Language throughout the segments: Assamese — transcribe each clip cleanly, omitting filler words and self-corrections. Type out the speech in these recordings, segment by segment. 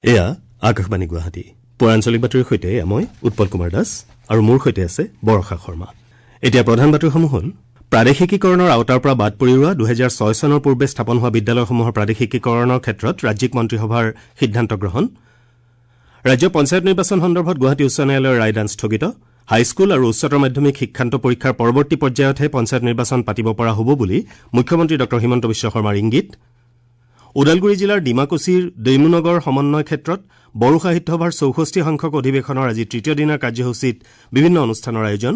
এয়া আকাশবাণী গুৱাহাটী। পুৱাৰ আঞ্চলিক বাতৰিৰ সৈতে মই উৎপল কুমাৰ দাস আৰু মোৰ সৈতে আছে বৰষা শৰ্মা। এতিয়া প্ৰধান বাতৰিসমূহ হ'ল: প্ৰাদেশিকীকৰণৰ আওতাৰ পৰা বাদ পৰি ৰোৱা ২০০৬ চনৰ পূৰ্বে স্থাপন হোৱা বিদ্যালয়সমূহৰ প্ৰাদেশিকীকৰণৰ ক্ষেত্ৰত ৰাজ্যিক মন্ত্ৰীসভাৰ সিদ্ধান্ত গ্ৰহণ। ৰাজ্যৰ পঞ্চায়ত নিৰ্বাচন সন্দৰ্ভত গুৱাহাটী উচ্চ ন্যায়ালয়ৰ ৰায়দান স্থগিত। হাইস্কুল আৰু উচ্চতৰ মাধ্যমিক শিক্ষান্ত পৰীক্ষাৰ পৰৱৰ্তী পৰ্যায়তহে পঞ্চায়ত নিৰ্বাচন পাতিব পৰা হ'ব বুলি মুখ্যমন্ত্ৰী ডঃ হিমন্ত বিশ্ব শৰ্মাৰ ইংগিত। ওদালগুৰি জিলাৰ ডিমাকুছিৰ দৈমুনগৰ সমন্বয় ক্ষেত্ৰত বড়ো সাহিত্য সভাৰ ৬৪ সংখ্যক অধিৱেশনৰ আজি তৃতীয় দিনাৰ কাৰ্যসূচীত বিভিন্ন অনুষ্ঠানৰ আয়োজন।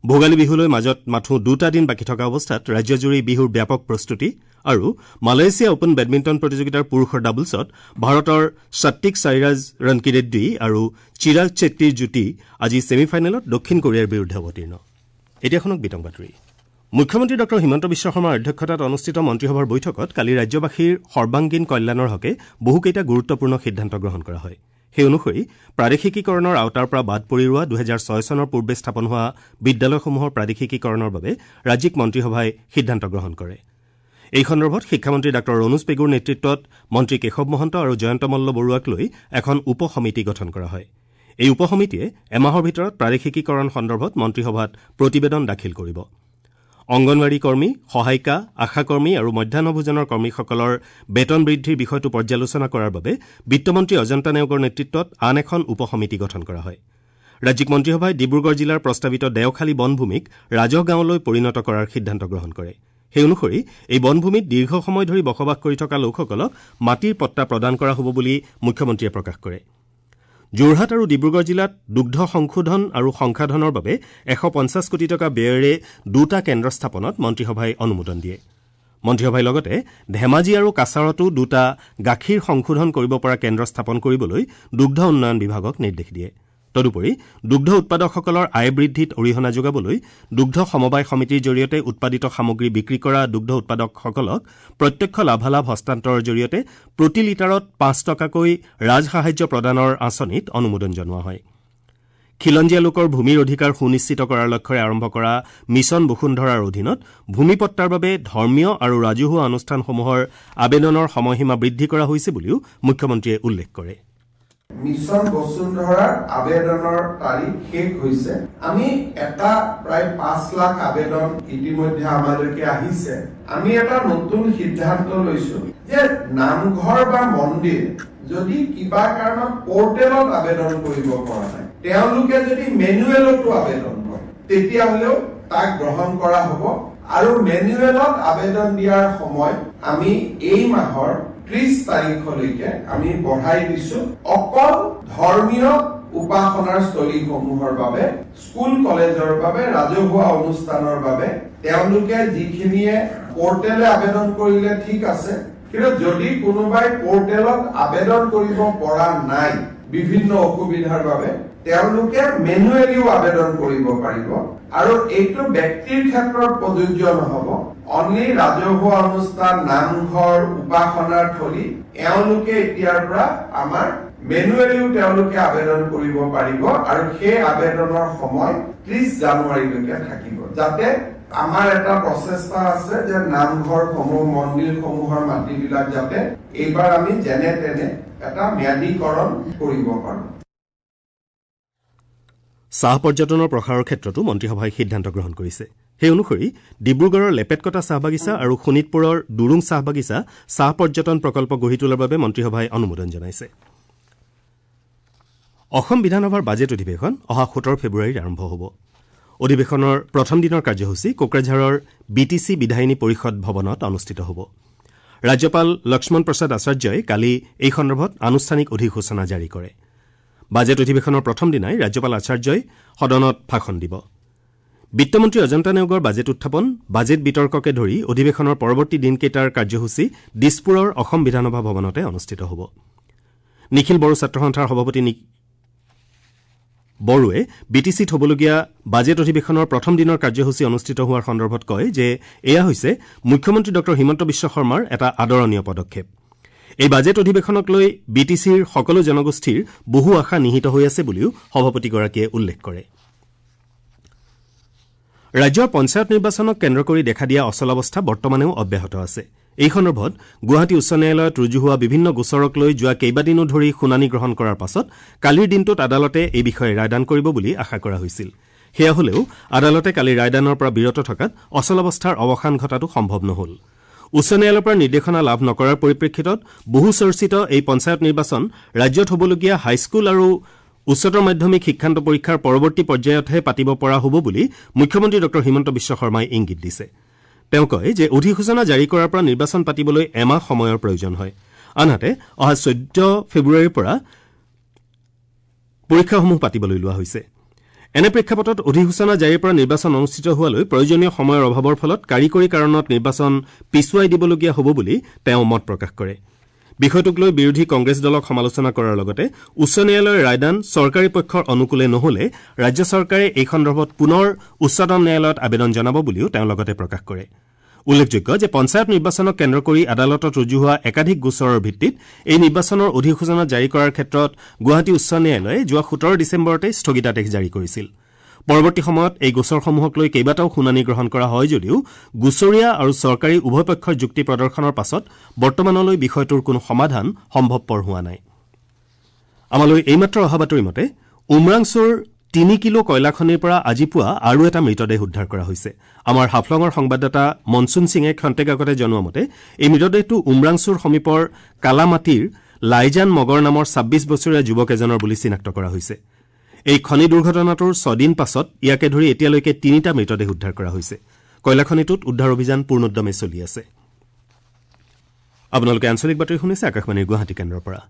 ভোগালী বিহুলৈ মাজত মাথো দুটা দিন বাকী থকা অৱস্থাত ৰাজ্যজুৰি বিহুৰ ব্যাপক প্ৰস্তুতি। আৰু মালয়েছিয়া অপেন বেডমিণ্টন প্ৰতিযোগিতাৰ পুৰুষৰ ডাবলছত ভাৰতৰ সাত্বিক সাইৰাজ ৰনকিৰেড্ডী আৰু চিৰাগ চেট্টীৰ যুটি আজি ছেমি ফাইনেলত দক্ষিণ কোৰিয়াৰ বিৰুদ্ধে অৱতীৰ্ণ। এতিয়া শুনক বিতং বাতৰি। মুখ্যমন্ত্ৰী ডঃ হিমন্ত বিশ্ব শৰ্মাৰ অধ্যক্ষতাত অনুষ্ঠিত মন্ত্ৰীসভাৰ বৈঠকত কালি ৰাজ্যবাসীৰ সৰ্বাংগীন কল্যাণৰ হকে বহুকেইটা গুৰুত্বপূৰ্ণ সিদ্ধান্ত গ্ৰহণ কৰা হয়। সেই অনুসৰি প্ৰাদেশিকীকৰণৰ আওতাৰ পৰা বাদ পৰি ৰোৱা ২০০৬ চনৰ পূৰ্বে স্থাপন হোৱা বিদ্যালয়সমূহৰ প্ৰাদেশিকীকৰণৰ বাবে ৰাজ্যিক মন্ত্ৰীসভাই সিদ্ধান্ত গ্ৰহণ কৰে। এই সন্দৰ্ভত শিক্ষামন্ত্ৰী ডাঃ ৰণোজ পেগুৰ নেতৃত্বত মন্ত্ৰী কেশৱ মহন্ত আৰু জয়ন্ত মল্ল বৰুৱাক লৈ এখন উপ সমিতি গঠন কৰা হয়। এই উপ সমিতিয়ে এমাহৰ ভিতৰত প্ৰাদেশিকীকৰণ সন্দৰ্ভত মন্ত্ৰীসভাত প্ৰতিবেদন দাখিল কৰিব। অংগনৱাড়ী কৰ্মী, সহায়িকা, আশাকৰ্মী আৰু মধ্যাহ্ন ভোজনৰ কৰ্মীসকলৰ বেতন বৃদ্ধিৰ বিষয়টো পৰ্যালোচনা কৰাৰ বাবে বিত্তমন্ত্ৰী অজন্তা নেওগৰ নেতৃত্বত আন এখন উপ সমিতি গঠন কৰা হয়। ৰাজ্যিক মন্ত্ৰীসভাই ডিব্ৰুগড় জিলাৰ প্ৰস্তাৱিত দেওখালী বনভূমিক ৰাজহ গাঁৱলৈ পৰিণত কৰাৰ সিদ্ধান্ত গ্ৰহণ কৰে। সেই অনুসৰি এই বনভূমিত দীৰ্ঘ সময় ধৰি বসবাস কৰি থকা লোকসকলক মাটিৰ পট্টা প্ৰদান কৰা হ'ব বুলি মুখ্যমন্ত্ৰীয়ে প্ৰকাশ কৰে। যোৰহাট আৰু ডিব্ৰুগড় জিলাত দুগ্ধ সংশোধন আৰু সংসাধনৰ বাবে ১৫০ কোটি টকা ব্যয়েৰে দুটা কেন্দ্ৰ স্থাপনত মন্ত্ৰীসভাই অনুমোদন দিয়ে। মন্ত্ৰীসভাই লগতে ধেমাজি আৰু কাছাৰতো দুটা গাখীৰ সংশোধন কৰিব পৰা কেন্দ্ৰ স্থাপন কৰিবলৈ দুগ্ধ উন্নয়ন বিভাগক নিৰ্দেশ দিয়ে। তদুপৰি দুগ্ধ উৎপাদকসকলৰ আয় বৃদ্ধিত অৰিহণা যোগাবলৈ দুগ্ধ সমবায় সমিতিৰ জৰিয়তে উৎপাদিত সামগ্ৰী বিক্ৰী কৰা দুগ্ধ উৎপাদকসকলক প্ৰত্যক্ষ লাভালাভ হস্তান্তৰৰ জৰিয়তে প্ৰতি লিটাৰত ৫ টকাকৈ ৰাজসাহায্য প্ৰদানৰ আঁচনিত অনুমোদন জনোৱা হয়। খিলঞ্জীয়া লোকৰ ভূমিৰ অধিকাৰ সুনিশ্চিত কৰাৰ লক্ষ্যৰে আৰম্ভ কৰা মিছন বসুন্ধৰাৰ অধীনত ভূমি পট্টাৰ বাবে ধৰ্মীয় আৰু ৰাজহুৱা অনুষ্ঠানসমূহৰ আবেদনৰ সময়সীমা বৃদ্ধি কৰা হৈছে বুলিও মুখ্যমন্ত্ৰীয়ে উল্লেখ কৰে। মিছন বসুন্ধৰাৰ আবেদনৰ তাৰিখ শেষ হৈছে। আমি এটা প্ৰায় ৫ লাখ আবেদন ইতিমধ্যে আমালৈকে আহিছে। আমি এটা নতুন সিদ্ধান্ত লৈছো যে নামঘৰ বা মন্দিৰ যদি কিবা কাৰণত পৰ্টেলত আবেদন কৰিব পৰা নাই, তেওঁলোকে যদি মেনুৱেলতো আবেদন কৰে তেতিয়াহ'লেও তাক গ্ৰহণ কৰা হ'ব। আৰু মেনুৱেলত আবেদন দিয়াৰ সময় আমি এই মাহৰ ৩০ তাৰিখলৈকে আমি বঢ়াই দিছো। অকল ধৰ্মীয় উপাসনাৰ স্থলীসমূহৰ বাবে, স্কুল কলেজৰ বাবে, ৰাজহুৱা অনুষ্ঠানৰ বাবে তেওঁলোকে যিখিনিয়ে পৰ্টেলে আবেদন কৰিলে ঠিক আছে, কিন্তু যদি কোনোবাই পৰ্টেলত আবেদন কৰিব পৰা নাই বিভিন্ন অসুবিধাৰ বাবে, তেওঁলোকে মেনুৱেলিও আবেদন কৰিব পাৰিব। আৰু এইটো ব্যক্তিৰ ক্ষেত্ৰত প্ৰযোজ্য নহব। অনলি ৰাজহুৱা অনুষ্ঠান, নামঘৰ, উপাসনাৰ থলী এওঁলোকে এতিয়াৰ পৰা আমাৰ মেনুৱেলিও তেওঁলোকে আবেদন কৰিব পাৰিব। আৰু সেই আবেদনৰ সময় ৩০ জানুৱাৰীলৈকে থাকিব। যাতে আমাৰ এটা প্ৰচেষ্টা আছে যে নামঘৰসমূহ, মন্দিৰসমূহৰ মাটিবিলাক যাতে এইবাৰ আমি যেনে তেনে এটা ম্যাদীকৰণ কৰিব পাৰো। চাহ পৰ্যটনৰ প্ৰসাৰৰ ক্ষেত্ৰতো মন্ত্ৰীসভাই সিদ্ধান্ত গ্ৰহণ কৰিছে। সেই অনুসৰি ডিব্ৰুগড়ৰ লেপেটকটা চাহ বাগিচা আৰু শোণিতপুৰৰ দুৰুং চাহ বাগিচা চাহ পৰ্যটন প্ৰকল্প গঢ়ি তোলাৰ বাবে মন্ত্ৰীসভাই অনুমোদন জনাইছে। অসম বিধানসভাৰ বাজেট অধিৱেশন অহা ১৭ ফেব্ৰুৱাৰীত আৰম্ভ হ'ব। অধিৱেশনৰ প্ৰথম দিনৰ কাৰ্যসূচী কোকৰাঝাৰৰ বি টি চি বিধায়িনী পৰিষদ ভৱনত অনুষ্ঠিত হ'ব। ৰাজ্যপাল লক্ষ্মণ প্ৰসাদ আচাৰ্যই কালি এই সন্দৰ্ভত আনুষ্ঠানিক অধিসূচনা জাৰি কৰে। বাজেট অধিৱেশনৰ প্ৰথম দিনাই ৰাজ্যপাল আচাৰ্যই সদনত ভাষণ দিব। বিত্তমন্ত্ৰী অজন্তা নেওগৰ বাজেট উত্থাপন, বাজেট বিতৰ্ককে ধৰি অধিৱেশনৰ পৰৱৰ্তী দিনকেইটাৰ কাৰ্যসূচী দিছপুৰৰ অসম বিধানসভা ভৱনতে অনুষ্ঠিত হ'ব। নিখিল বড়ো ছাত্ৰ সন্থাৰ সভাপতি বড়োৱে বি টি চিত হ'বলগীয়া বাজেট অধিৱেশনৰ প্ৰথম দিনৰ কাৰ্যসূচী অনুষ্ঠিত হোৱাৰ সন্দৰ্ভত কয় যে এয়া হৈছে মুখ্যমন্ত্ৰী ডঃ হিমন্ত বিশ্ব শৰ্মাৰ এটা আদৰণীয় পদক্ষেপ। এই বাজেট অধিৱেশনক লৈ বি টি চিৰ সকলো জনগোষ্ঠীৰ বহু আশা নিহিত হৈ আছে বুলিও সভাপতিগৰাকীয়ে উল্লেখ কৰে। ৰাজ্যৰ পঞ্চায়ত নিৰ্বাচনক কেন্দ্ৰ কৰি দেখা দিয়া অচলাৱস্থা বৰ্তমানেও অব্যাহত আছে। এই সন্দৰ্ভত গুৱাহাটী উচ্চ ন্যায়ালয়ত ৰুজু হোৱা বিভিন্ন গোচৰক লৈ যোৱা কেইবাদিনো ধৰি শুনানি গ্ৰহণ কৰাৰ পাছত কালিৰ দিনটোত আদালতে এই বিষয়ে ৰায়দান কৰিব বুলি আশা কৰা হৈছিল। সেয়া হলেও আদালতে কালি ৰায়দানৰ পৰা বিৰত থকাত অচলাৱস্থাৰ অৱসান ঘটাটো সম্ভৱ নহল। উচ্চ ন্যায়ালয়ৰ পৰা নিৰ্দেশনা লাভ নকৰাৰ পৰিপ্ৰেক্ষিতত বহু চৰ্চিত এই পঞ্চায়ত নিৰ্বাচন ৰাজ্যত হ'বলগীয়া হাইস্কুল আৰু উচ্চতৰ মাধ্যমিক শিক্ষান্ত পৰীক্ষাৰ পৰৱৰ্তী পৰ্যায়তহে পাতিব পৰা হ'ব বুলি মুখ্যমন্ত্ৰী ডঃ হিমন্ত বিশ্ব শৰ্মাই ইংগিত দিছে। তেওঁ কয় যে অধিসূচনা জাৰি কৰাৰ পৰা নিৰ্বাচন পাতিবলৈ এমাহ সময়ৰ প্ৰয়োজন হয়। আনহাতে অহা 14 ফেব্ৰুৱাৰীৰ পৰা পৰীক্ষাসমূহ পাতিবলৈ লোৱা হৈছে। এনে প্ৰেক্ষাপটত অধিসূচনা জাৰিৰ পৰা নিৰ্বাচন অনুষ্ঠিত হোৱালৈ প্ৰয়োজনীয় সময়ৰ অভাৱৰ ফলত কাৰিকৰী কাৰণত নিৰ্বাচন পিছুৱাই দিবলগীয়া হ'ব বুলি তেওঁ মত প্ৰকাশ কৰে। বিষয়টোক লৈ বিৰোধী কংগ্ৰেছ দলক সমালোচনা কৰাৰ লগতে উচ্চ ন্যায়ালয়ৰ ৰায়দান চৰকাৰী পক্ষৰ অনুকূলে নহ'লে ৰাজ্য চৰকাৰে এই সন্দৰ্ভত পুনৰ উচ্চতম ন্যায়ালয়ত আবেদন জনাব বুলিও তেওঁ লগতে প্ৰকাশ কৰে। উল্লেখযোগ্য যে পঞ্চায়ত নিৰ্বাচনক কেন্দ্ৰ কৰি আদালতত ৰুজু হোৱা একাধিক গোচৰৰ ভিত্তিত এই নিৰ্বাচনৰ অধিসূচনা জাৰি কৰাৰ ক্ষেত্ৰত গুৱাহাটী উচ্চ ন্যায়ালয়ে যোৱা 17 ডিচেম্বৰতে স্থগিতাদেশ জাৰি কৰিছিল। পৰৱৰ্তী সময়ত এই গোচৰসমূহক লৈ কেইবাটাও শুনানি গ্ৰহণ কৰা হয় যদিও গোচৰীয়া আৰু চৰকাৰী উভয় পক্ষৰ যুক্তি প্ৰদৰ্শনৰ পাছত বৰ্তমানলৈ বিষয়টোৰ কোনো সমাধান সম্ভৱপৰ হোৱা নাই। আমালৈ এইমাত্ৰ অহা বাতৰি মতে উমৰাংচুৰ 3 কিলো কয়লাখনিৰ পৰা আজি পুৱা আৰু এটা মৃতদেহ উদ্ধাৰ কৰা হৈছে। আমাৰ হাফলঙৰ সংবাদদাতা মনচুন সিঙে ক্ষন্তেক আগতে জনোৱা মতে এই মৃতদেহটো উমৰাংচুৰ সমীপৰ কালামাটিৰ লাইজান মগৰ নামৰ 26 বছৰীয়া যুৱক এজনৰ বুলি চিনাক্ত কৰা হৈছে। এই খনি দুৰ্ঘটনাটোৰ 6 দিন পাছত ইয়াকে ধৰি এতিয়ালৈকে 3টা মৃতদেহ উদ্ধাৰ কৰা হৈছে। কয়লাখনিটোত উদ্ধাৰ অভিযান পূৰ্ণোদ্যমে চলি আছে। আপোনালোকে আঞ্চলিক বাতৰি শুনিছে আকাশবাণীৰ গুৱাহাটী কেন্দ্ৰৰ পৰা।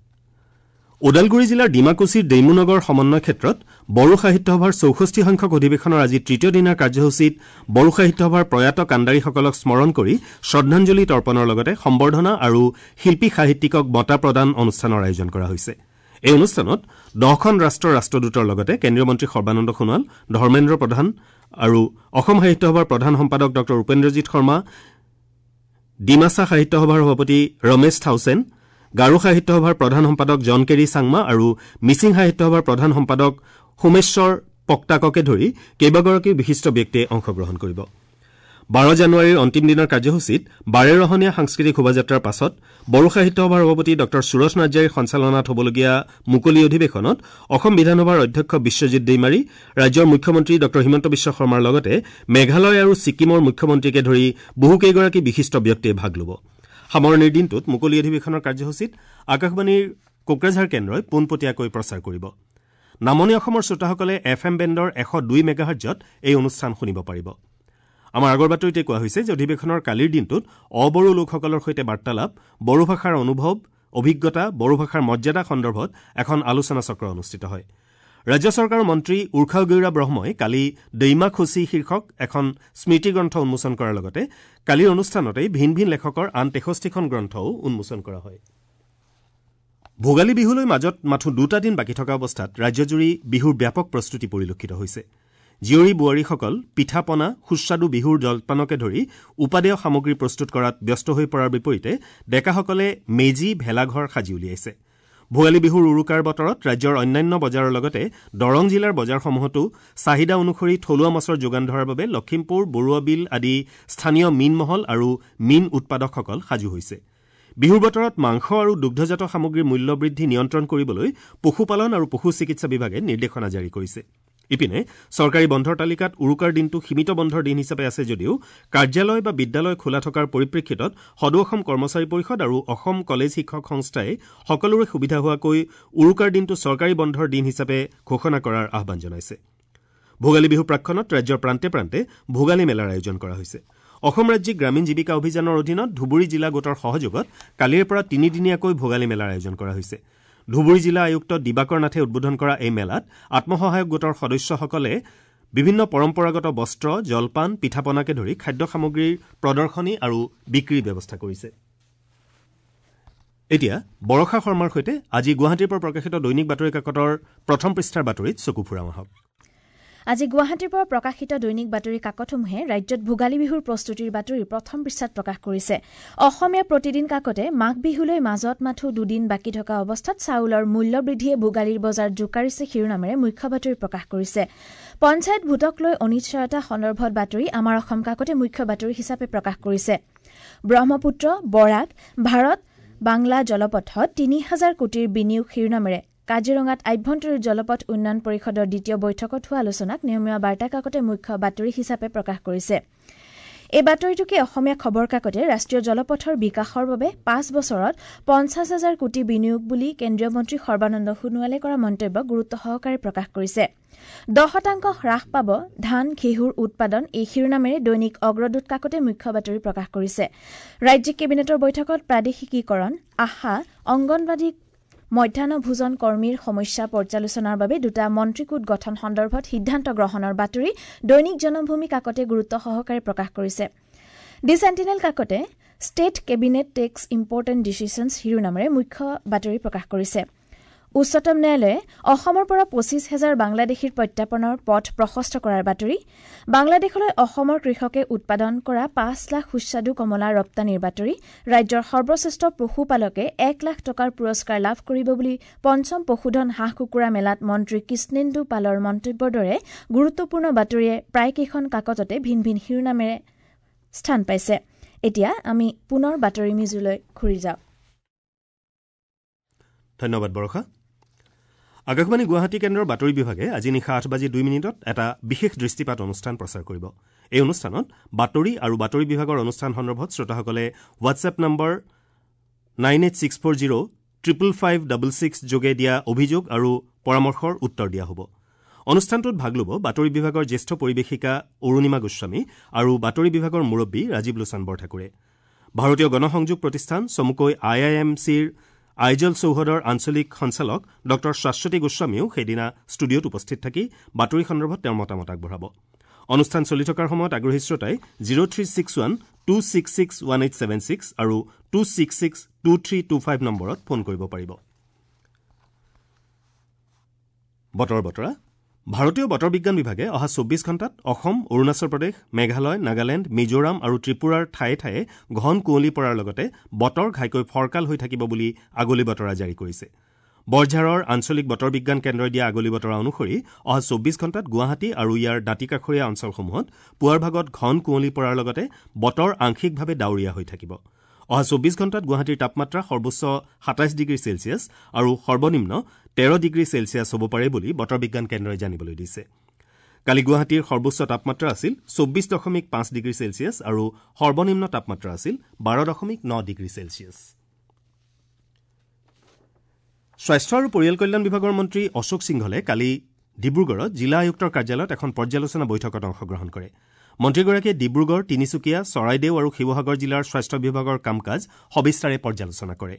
ওদালগুৰি জিলাৰ ডিমাকুছিৰ ডেইমুনগৰ সমন্বয় ক্ষেত্ৰত বড়ো সাহিত্য সভাৰ 64 সংখ্যক অধিৱেশনৰ আজি তৃতীয় দিনাৰ কাৰ্যসূচীত বড়ো সাহিত্য সভাৰ প্ৰয়াত কাণ্ডাৰীসকলক স্মৰণ কৰি শ্ৰদ্ধাঞ্জলি তৰ্পণৰ লগতে সম্বৰ্ধনা আৰু শিল্পী সাহিত্যিকক বঁটা প্ৰদান অনুষ্ঠানৰ আয়োজন কৰা হৈছে। এই অনুষ্ঠানত 10খন ৰাষ্ট্ৰৰ ৰাষ্ট্ৰদূতৰ লগতে কেন্দ্ৰীয় মন্ত্ৰী সৰ্বানন্দ সোণোৱাল, ধৰ্মেন্দ্ৰ প্ৰধান আৰু অসম সাহিত্য সভাৰ প্ৰধান সম্পাদক ডঃ উপেন্দ্ৰজিৎ শৰ্মা, ডিমাছা সাহিত্য সভাৰ সভাপতি ৰমেশ থাউচেন, গাৰো সাহিত্য সভাৰ প্ৰধান সম্পাদক জন কেৰি চাংমা আৰু মিচিং সাহিত্য সভাৰ প্ৰধান সম্পাদক সোমেশ্বৰ পক্তাককে ধৰি কেইবাগৰাকীও বিশিষ্ট ব্যক্তিয়ে অংশগ্ৰহণ কৰিব। 12 জানুৱাৰীৰ অন্তিম দিনৰ কাৰ্যসূচীত বাৰেৰহণীয়া সাংস্কৃতিক শোভাযাত্ৰাৰ পাছত বড়ো সাহিত্য সভাৰ সভাপতি ডঃ সুৰজ নাৰ্জাৰীৰ সঞ্চালনাত হ'বলগীয়া মুকলি অধিৱেশনত অসম বিধানসভাৰ অধ্যক্ষ বিশ্বজিৎ দৈমাৰী, ৰাজ্যৰ মুখ্যমন্ত্ৰী ডঃ হিমন্ত বিশ্ব শৰ্মাৰ লগতে মেঘালয় আৰু ছিকিমৰ মুখ্যমন্ত্ৰীকে ধৰি বহুকেইগৰাকী বিশিষ্ট ব্যক্তিয়ে ভাগ ল'ব। সামৰণিৰ দিনটোত মুকলি অধিৱেশনৰ কাৰ্যসূচীত আকাশবাণীৰ কোকৰাঝাৰ কেন্দ্ৰই পোনপটীয়াকৈ প্ৰচাৰ কৰিব। নামনি অসমৰ শ্ৰোতাসকলে এফ এম বেণ্ডৰ 102 মেগাহাৰ্জত এই অনুষ্ঠান শুনিব পাৰিব। আমাৰ আগৰ বাতৰিতে কোৱা হৈছে যে অধিৱেশনৰ কালিৰ দিনটোত অবড়ো লোকসকলৰ সৈতে বাৰ্তালাপ, বড়ো ভাষাৰ অনুভৱ, অভিজ্ঞতা, বড়ো ভাষাৰ মৰ্যাদা সন্দৰ্ভত এখন আলোচনা চক্ৰ অনুষ্ঠিত হয়। ৰাজ্য চৰকাৰৰ মন্ত্ৰী উৰ্খাও গৌৰা ব্ৰহ্মই কালি দৈমা খুচি শীৰ্ষক এখন স্মৃতিগ্ৰন্থ উন্মোচন কৰাৰ লগতে কালিৰ অনুষ্ঠানতেই ভিন ভিন লেখকৰ আন 63খন গ্ৰন্থও উন্মোচন কৰা হয়। ভোগালী বিহুলৈ মাজত মাথো 2টা দিন বাকী থকা অৱস্থাত ৰাজ্যজুৰি বিহুৰ ব্যাপক প্ৰস্তুতি পৰিলক্ষিত হৈছে। জীয়ৰী বোৱাৰীসকল পিঠা পনা, সুস্বাদু বিহুৰ জলপানকে ধৰি উপাদেয় সামগ্ৰী প্ৰস্তুত কৰাত ব্যস্ত হৈ পৰাৰ বিপৰীতে ডেকাসকলে মেজি, ভেলাঘৰ সাজি উলিয়াইছে। ভোগালী বিহুৰ উৰুকাৰ বতৰত ৰাজ্যৰ অন্যান্য বজাৰৰ লগতে দৰং জিলাৰ বজাৰসমূহতো চাহিদা অনুসৰি থলুৱা মাছৰ যোগান ধৰাৰ বাবে লখিমপুৰ, বৰুৱাবিল আদি স্থানীয় মীনমহল আৰু মীন উৎপাদকসকল সাজু হৈছে। বিহুৰ বতৰত মাংস আৰু দুগ্ধজাত সামগ্ৰীৰ মূল্যবৃদ্ধি নিয়ন্ত্ৰণ কৰিবলৈ পশুপালন আৰু পশু চিকিৎসা বিভাগে নিৰ্দেশনা জাৰি কৰিছে। ইপিনে চৰকাৰী বন্ধৰ তালিকাত উৰুকাৰ দিনটো সীমিত বন্ধৰ দিন হিচাপে আছে যদিও কাৰ্যালয় বা বিদ্যালয় খোলা থকাৰ পৰিপ্ৰেক্ষিতত সদৌ অসম কৰ্মচাৰী পৰিষদ আৰু অসম কলেজ শিক্ষক সংস্থাই সকলোৰে সুবিধা হোৱাকৈ উৰুকাৰ দিনটো চৰকাৰী বন্ধৰ দিন হিচাপে ঘোষণা কৰাৰ আহ্বান জনাইছে। ভোগালী বিহু প্ৰাকক্ষণত ৰাজ্যৰ প্ৰান্তে প্ৰান্তে ভোগালী মেলাৰ আয়োজন কৰা হৈছে। অসম ৰাজ্যিক গ্ৰামীণ জীৱিকা অভিযানৰ অধীনত ধুবুৰী জিলা গোটৰ সহযোগত কালিৰে পৰা 3দিনীয়াকৈ ভোগালী মেলাৰ আয়োজন কৰা হৈছে। ধুবুৰী জিলা আয়ুক্ত দিবাকৰ নাথে উদ্বোধন কৰা এই মেলাত আত্মসহায়ক গোটৰ সদস্যসকলে বিভিন্ন পৰম্পৰাগত বস্ত্ৰ, জলপান, পিঠা পনাকে ধৰি খাদ্য সামগ্ৰীৰ প্ৰদৰ্শনী আৰু বিক্ৰীৰ ব্যৱস্থা কৰিছে। এতিয়া বৰষা শৰ্মাৰ সৈতে আজি গুৱাহাটীৰ পৰা প্ৰকাশিত দৈনিক বাতৰি কাকতৰ প্ৰথম পৃষ্ঠাৰ বাতৰিত চকু ফুৰাওঁ আহক। আজি গুৱাহাটীৰ পৰা প্ৰকাশিত দৈনিক বাতৰি কাকতসমূহে ৰাজ্যত ভোগালী বিহুৰ প্ৰস্তুতিৰ বাতৰি প্ৰথম পৃষ্ঠাত প্ৰকাশ কৰিছে। অসমীয়া প্ৰতিদিন কাকতে মাঘ বিহুলৈ মাজত মাথো 2 দিন বাকী থকা অৱস্থাত চাউলৰ মূল্য বৃদ্ধিয়ে ভোগালীৰ বজাৰ জোকাৰিছে শিৰোনামেৰে মুখ্য বাতৰি প্ৰকাশ কৰিছে। পঞ্চায়ত ভোটক লৈ অনিশ্চয়তা সন্দৰ্ভত বাতৰি আমাৰ অসম কাকতে মুখ্য বাতৰি হিচাপে প্ৰকাশ কৰিছে। ব্ৰহ্মপুত্ৰ বৰাক ভাৰত বাংলা জলপথত ৩,০০০ কোটিৰ বিনিয়োগ শিৰোনামেৰে কাজিৰঙাত আভ্যন্তৰীণ জলপথ উন্নয়ন পৰিষদৰ দ্বিতীয় বৈঠকত হোৱা আলোচনাক নিয়মীয়া বাৰ্তা কাকতে মুখ্য বাতৰি হিচাপে প্ৰকাশ কৰিছে। এই বাতৰিটোকে অসমীয়া খবৰ কাকতে ৰাষ্ট্ৰীয় জলপথৰ বিকাশৰ বাবে ৫ বছৰত ৫০,০০০ কোটি বিনিয়োগ বুলি কেন্দ্ৰীয় মন্ত্ৰী সৰ্বানন্দ সোণোৱালে কৰা মন্তব্য গুৰুত্ব সহকাৰে প্ৰকাশ কৰিছে। ১০% হ্ৰাস পাব ধান ঘেঁহুৰ উৎপাদন এই শিৰোনামেৰে দৈনিক অগ্ৰদূত কাকতে মুখ্য বাতৰি প্ৰকাশ কৰিছে। ৰাজ্যিক কেবিনেটৰ বৈঠকত প্ৰাদেশিকীকৰণ, আশা, অংগনবাদী মধ্যাহ্ন ভোজন কৰ্মীৰ সমস্যা পৰ্যালোচনাৰ বাবে দুটা মন্ত্ৰীগোট গঠন সন্দৰ্ভত সিদ্ধান্ত গ্ৰহণৰ বাতৰি দৈনিক জনমভূমি কাকতে গুৰুত্ব সহকাৰে প্ৰকাশ কৰিছে। দি sentinel কাকতে state cabinet takes important decisions শিৰোনামেৰে মুখ্য বাতৰি প্ৰকাশ কৰিছে। উচ্চতম ন্যায়ালয়ে অসমৰ পৰা ২৫,০০০ বাংলাদেশীৰ প্ৰত্যাৰ্পণৰ পথ প্ৰশস্ত কৰাৰ বাতৰি, বাংলাদেশলৈ অসমৰ কৃষকে উৎপাদন কৰা ৫ লাখ সুস্বাদু কমলা ৰপ্তানিৰ বাতৰি, ৰাজ্যৰ সৰ্বশ্ৰেষ্ঠ পশুপালকে ১ লাখ টকাৰ পুৰস্কাৰ লাভ কৰিব বুলি পঞ্চম পশুধন হাঁহ কুকুৰা মেলাত মন্ত্ৰী কৃষ্ণেন্দু পালৰ মন্তব্যৰ দৰে গুৰুত্বপূৰ্ণ বাতৰিয়ে প্ৰায়কেইখন কাকততে ভিন ভিন শিৰোনামেৰে স্থান পাইছে। এতিয়া আমি পুনৰ বাতৰি মিজুলৈ ঘূৰি যাওঁ। ধন্যবাদ বৰষা। আকাশবাণী গুৱাহাটী কেন্দ্ৰৰ বাতৰি বিভাগে আজি নিশা ৮:০২ এটা বিশেষ দৃষ্টিপাত অনুষ্ঠান প্ৰচাৰ কৰিব। এই অনুষ্ঠানত বাতৰি আৰু বাতৰি বিভাগৰ অনুষ্ঠান সন্দৰ্ভত শ্ৰোতাসকলে হোৱাটছএপ নম্বৰ 986405 55566 যোগে দিয়া অভিযোগ আৰু পৰামৰ্শৰ উত্তৰ দিয়া হ'ব। অনুষ্ঠানটোত ভাগ ল'ব বাতৰি বিভাগৰ জ্যেষ্ঠ পৰিৱেশিকা অৰুণিমা গোস্বামী আৰু বাতৰি বিভাগৰ মুৰব্বী ৰাজীৱ লোচন বৰঠাকুৰে। ভাৰতীয় গণসংযোগ প্ৰতিষ্ঠান চমুকৈ আই I am চিৰ আইজল চৌহদৰ আঞ্চলিক সঞ্চালক ডঃ শাশ্বতী গোস্বামীয়েও সেইদিনা ষ্টুডিঅ'ত উপস্থিত থাকি বাতৰি সন্দৰ্ভত তেওঁৰ মতামত আগবঢ়াব। অনুষ্ঠান চলি থকাৰ সময়ত আগ্ৰহী শ্ৰোতাই 0361 266 1876 আৰু 266 2325 নম্বৰত ফোন কৰিব পাৰিব। বতৰৰ বতৰা। ভাৰতীয় বতৰ বিজ্ঞান বিভাগে অহা ২৪ ঘণ্টাত অসম, অৰুণাচল প্ৰদেশ, মেঘালয়, নাগালেণ্ড, মিজোৰাম আৰু ত্ৰিপুৰাৰ ঠায়ে ঠায়ে ঘন কুঁৱলী পৰাৰ লগতে বতৰ ঘাইকৈ ফৰকাল হৈ থাকিব বুলি আগলি বতৰা জাৰি কৰিছে। বৰঝাৰৰ আঞ্চলিক বতৰ বিজ্ঞান কেন্দ্ৰই দিয়া আগলি বতৰা অনুসৰি অহা ২৪ ঘণ্টাত গুৱাহাটী আৰু ইয়াৰ দাঁতিকাষৰীয়া অঞ্চলসমূহত পুৱাৰ ভাগত ঘন কুঁৱলী পৰাৰ লগতে বতৰ আংশিকভাৱে ডাৱৰীয়া হৈ থাকিব। অহা ২৪ ঘণ্টাত গুৱাহাটীৰ তাপমাত্ৰা সৰ্বোচ্চ ২৭ ডিগ্ৰী চেলছিয়াছ আৰু সৰ্বনিম্ন ১৩ ডিগ্ৰী চেলছিয়াছ হ'ব পাৰে বুলি বতৰ বিজ্ঞান কেন্দ্ৰই জানিবলৈ দিছে। কালি গুৱাহাটীৰ সৰ্বোচ্চ তাপমাত্ৰা আছিল ২৪.৫ ডিগ্ৰী চেলছিয়াছ আৰু সৰ্বনিম্ন তাপমাত্ৰা আছিল ১২.৯ ডিগ্ৰী চেলছিয়াছ। স্বাস্থ্য আৰু পৰিয়াল কল্যাণ বিভাগৰ মন্ত্ৰী অশোক সিংঘলে কালি ডিব্ৰুগড়ত জিলা আয়ুক্তৰ কাৰ্যালয়ত এখন পৰ্যালোচনা বৈঠকত অংশগ্ৰহণ কৰে। মন্ত্ৰীগৰাকীয়ে ডিব্ৰুগড়, তিনিচুকীয়া, চৰাইদেউ আৰু শিৱসাগৰ জিলাৰ স্বাস্থ্য বিভাগৰ কাম কাজ সবিস্তাৰে পৰ্যালোচনা কৰে।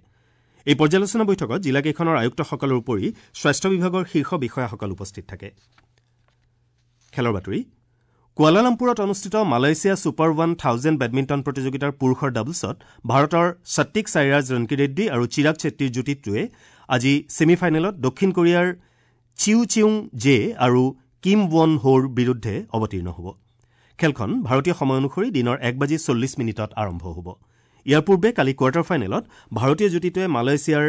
এই পৰ্যালোচনা বৈঠকত জিলাকেইখনৰ আয়ুক্তসকলৰ উপৰি স্বাস্থ্য বিভাগৰ শীৰ্ষ বিষয়াসকল উপস্থিত থাকে। খেলৰ বাতৰি। কুৱালালামপুৰত অনুষ্ঠিত মালয়েছিয়া ছুপাৰ 1000 বেডমিণ্টন প্ৰতিযোগিতাৰ পুৰুষৰ ডাবলছত ভাৰতৰ সত্বিক সাইৰাজ ৰংকিৰেড্ডী আৰু চিৰাগ চেট্টীৰ যুটিটোৱে আজি ছেমি ফাইনেলত দক্ষিণ কোৰিয়াৰ চিউ চিউং জে আৰু কিম ৱন হোৰ বিৰুদ্ধে অৱতীৰ্ণ হ'ব। খেলখন ভাৰতীয় সময় অনুসৰি দিনৰ ১:৪০ আৰম্ভ হ'ব। ইয়াৰ পূৰ্বে কালি কোৱাৰ্টাৰ ফাইনেলত ভাৰতীয় যুটিটোৱে মালয়েছিয়াৰ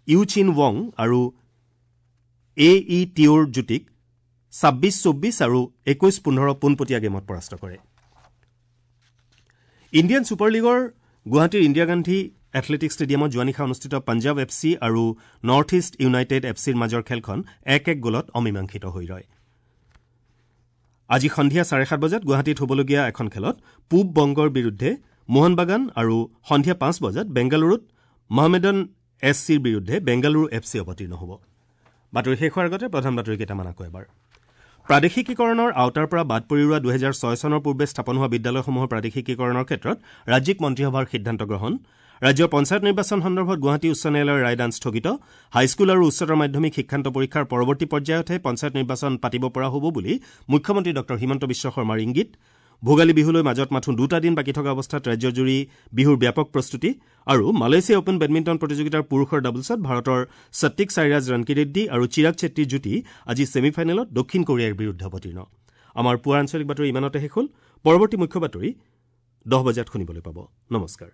ইউ চিন ৱং আৰু এ ই টিঅ'ৰ যুটিক ২৬-২৪ আৰু ২১-১৫ পোনপটীয়া গেমত পৰাস্ত কৰে। ইণ্ডিয়ান ছুপাৰ লীগৰ গুৱাহাটীৰ ইন্দিৰা গান্ধী এথলেটিক ষ্টেডিয়ামত যোৱা নিশা অনুষ্ঠিত পঞ্জাৱ এফ চি আৰু নৰ্থ ইষ্ট ইউনাইটেড এফ চিৰ মাজৰ খেলখন ১-১ গ'লত অমীমাংসিত হৈ ৰয়। আজি সন্ধিয়া ৭:৩০ বজাত গুৱাহাটীত হ'বলগীয়া এখন খেলত পূব বংগৰ বিৰুদ্ধে মোহনবাগান আৰু সন্ধিয়া ৫ বজাত বেংগালুৰুত মহমেডন এছ চিৰ বিৰুদ্ধে বেংগালুৰু এফ চি অৱতীৰ্ণ হ'ব। বাতৰি শেষ হোৱাৰ আগতে প্ৰধান বাতৰি কেইটামান আকৌ এবাৰ। প্ৰাদেশিকীকৰণৰ আওতাৰ পৰা বাদ পৰি ৰোৱা ২০০৬ চনৰ পূৰ্বে স্থাপন হোৱা বিদ্যালয়সমূহৰ প্ৰাদেশিকীকৰণৰ ক্ষেত্ৰত ৰাজ্যিক মন্ত্ৰীসভাৰ সিদ্ধান্ত গ্ৰহণ। ৰাজ্যৰ পঞ্চায়ত নিৰ্বাচন সন্দৰ্ভত গুৱাহাটী উচ্চ ন্যায়ালয়ৰ ৰায়দান স্থগিত। হাইস্কুল আৰু উচ্চতৰ মাধ্যমিক শিক্ষান্ত পৰীক্ষাৰ পৰৱৰ্তী পৰ্যায়তহে পঞ্চায়ত নিৰ্বাচন পাতিব পৰা হ'ব বুলি মুখ্যমন্ত্ৰী ডঃ হিমন্ত বিশ্ব শৰ্মাৰ ইংগিত। ভোগালী বিহুলৈ মাজত মাথোঁ দুটা দিন বাকী থকা অৱস্থাত ৰাজ্যজুৰি বিহুৰ ব্যাপক প্ৰস্তুতি। আৰু মালয়েছিয়া অপেন বেডমিণ্টন প্ৰতিযোগিতাৰ পুৰুষৰ ডাবলছত ভাৰতৰ সত্বিক সাইৰাজ ৰংকিৰেড্ডী আৰু চিৰাগ চেট্টীৰ যুটি আজি ছেমি ফাইনেলত দক্ষিণ কোৰিয়াৰ বিৰুদ্ধে অৱতীৰ্ণ। আমাৰ পুৱাৰ আঞ্চলিক বাতৰি ইমানতে শেষ হ'ল। পৰৱৰ্তী মুখ্য বাতৰি ১০ বজাত শুনিবলৈ পাব। নমস্কাৰ।